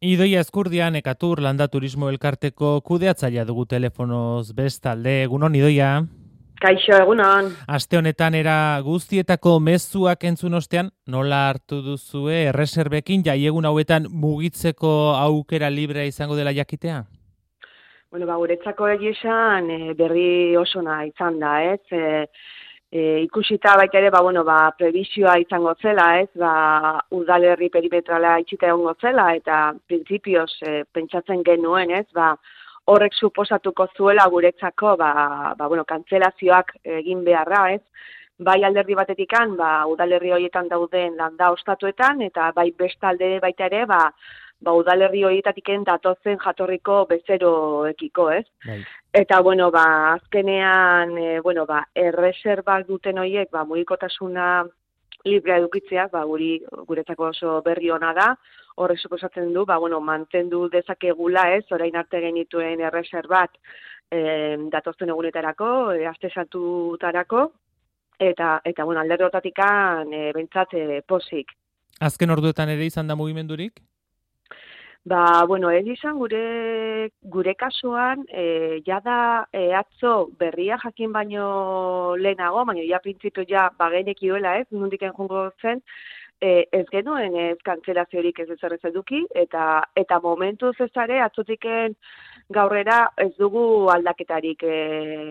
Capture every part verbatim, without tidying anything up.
Idoia Ezkurdia, Nekatur Landa Turismo Elkarteko kudeatzailea dugu telefonoz bestalde. Egunon, Idoia. Kaixo, egunon. Aste honetan era guztietako mezuak entzun ostean, nola hartu duzue erreserbekin jaiegun hauetan mugitzeko aukera librea izango dela jakitea? Bueno, ba, guretzako egizan e, berri osona izan da, ez? E, e, ikusita baita ere, ba, bueno, ba, prebizioa izango zela, ez? Ba, udalerri perimetrala itxita egongo zela, eta printzipioz e, pentsatzen genuen, ez? Ba, horrek suposatuko zuela guretzako, ba, ba, bueno, kantzelazioak egin beharra, ez? Bai alderdi batetikan, ba, udalerri horietan dauden landa ostatuetan, eta bai bestalde baita ere, ba, ba, udalerri horietatiken datozen jatorriko bezeroekiko, ez? Bai. Eta, bueno, ba, azkenean, e, bueno, ba, erreserbak duten horiek, ba, mugikotasuna librea edukitzea, ba, guri, guretzako oso berri ona da, horrek suposatzen du, ba, bueno, mantendu dezakegula, ez, orain arte genituen erreserbat e, datozen egunetarako, e, aste santutarako, eta, eta bueno, alderdi hortatikan, e, bentsat, e, posik. Azken orduetan ere izan da mugimendurik? Ba, bueno, ez izan gure, gure kasuan, e, jada e, atzo berria jakin baino lehenago, baina ja printzipio ja bagenek ioela ez, nondik enjungo zen, e, ez genuen ez kantzelaziorik ez ez eduki, eta, eta momentuz ez are, atzotiken gaurrera ez dugu aldaketarik e,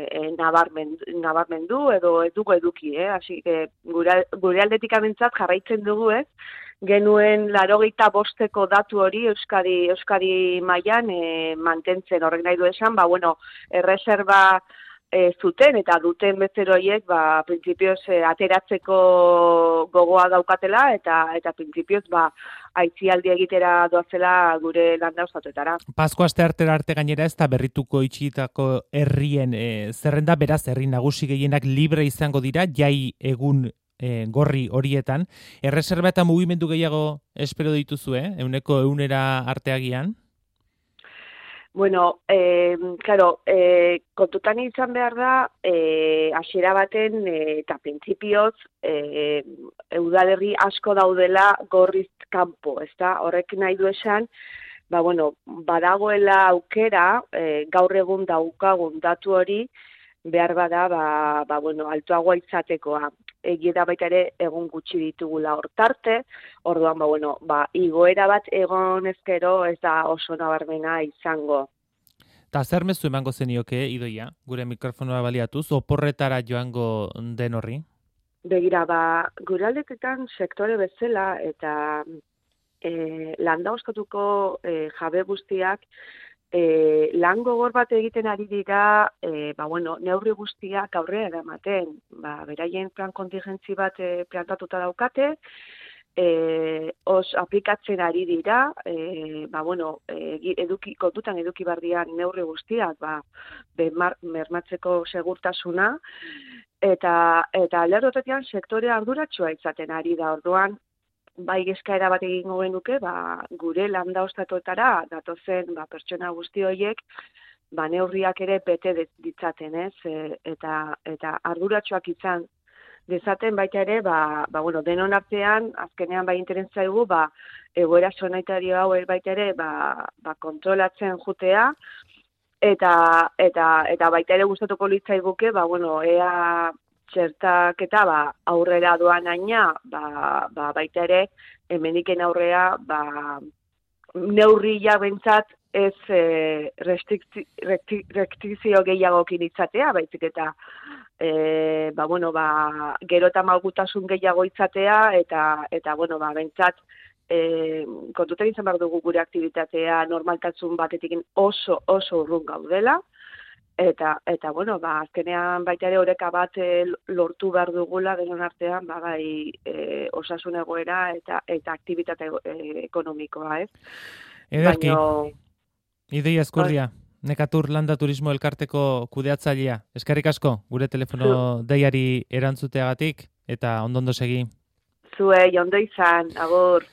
e, nabarmen, nabarmendu edo ez dugu eduki, eh? Asi, e, gure, gure aldetik abentzat jarraitzen dugu ez, genuen larogeita bosteko datu hori Euskadi Euskadi mailan e, mantentzen, horrek nahi du esan, ba, bueno, erreserba e, zuten eta duten bezero horiek, ba, printzipioz e, ateratzeko gogoa daukatela eta eta printzipioz ba, aitzialdi egitera doazela gure landa ostatuetara. Pasko aste artera arte gainera ez da berrituko itxitako herrien e, zerrenda, beraz herri nagusi gehienak libre izango dira, jai egun E, gorri horietan. Erreserba eta mugimendu gehiago espero dituzu, eh? Euneko eunera arteagian? Bueno, eh, claro, eh, kontutan izan behar da, eh, hasiera baten eh, eta printzipioz eh, udalerri asko daudela gorriz kanpo, ezta? Horrek nahi du esan, ba, bueno, badagoela aukera, eh, gaur egun daukagun datu hori, behar bada, ba, ba, bueno, altuagoa izatekoa. Egia da baita ere egun gutxi ditugula hortarte, orduan, ba, bueno, ba, igoera bat egon ezkero ez da oso nabarmena izango. Ta zer mezu emango zenioke, Idoia, gure mikrofonoa baliatuz, oporretara joango den horri? Begira, ba, gure aldetetan sektore bezala eta e, landa ostatuko e, jabe guztiak E, lan gogor bat egiten ari dira, e, ba, bueno, neurri guztiak aurrera eramaten, ba, beraien plan kontingentzi bat e, plantatuta daukate, e, os aplikatzen ari dira, e, ba, bueno, e, eduki, kontutan eduki bardian neurri guztiak, ba, bermar, mermatzeko segurtasuna, eta, eta lerrotetan sektore arduratsua izaten ari da, orduan, bai eskaera bat egingo genuke, ba, gure landa ostatuetara datozen ba, pertsona guzti horiek ba, neurriak ere bete ditzaten, ez? E, eta eta arduratsuak izan dezaten baita ere, ba, ba, bueno, denon artean, azkenean bai interesa dugu, ba, egoera sanitario hau baita ere ba, ba, kontrolatzen jutea, eta, eta, eta baita ere gustatuko litzaiguke, ba, bueno, ea txertaketa ba, aurrera doan aina, ba, ba, baita ere, hemeniken aurrea, ba, neurri bentsat ez e, restrikzio gehiagokin itzatea, baizik eta e, ba, bueno, ba, gero eta malgutasun gehiago itzatea, eta, eta bueno, ba, bentsat, e, kontutan izan behar dugu gure aktibitatea normaltasun batetik oso, oso urrun gaudela, Eta, eta bueno, ba, azkenean baita ere oreka bat e, lortu behar dugula denon artean, ba, bai, e, osasun egoera eta eta aktibitate e, ekonomikoa, ez? Ederki, Baino, Idoia Ezkurdia, Nekatur Landa Turismo Elkarteko kudeatzailea. Eskerrik asko, gure telefono zu. Deiari erantzuteagatik, eta ondondo segi. Zuei, ondo izan, agur.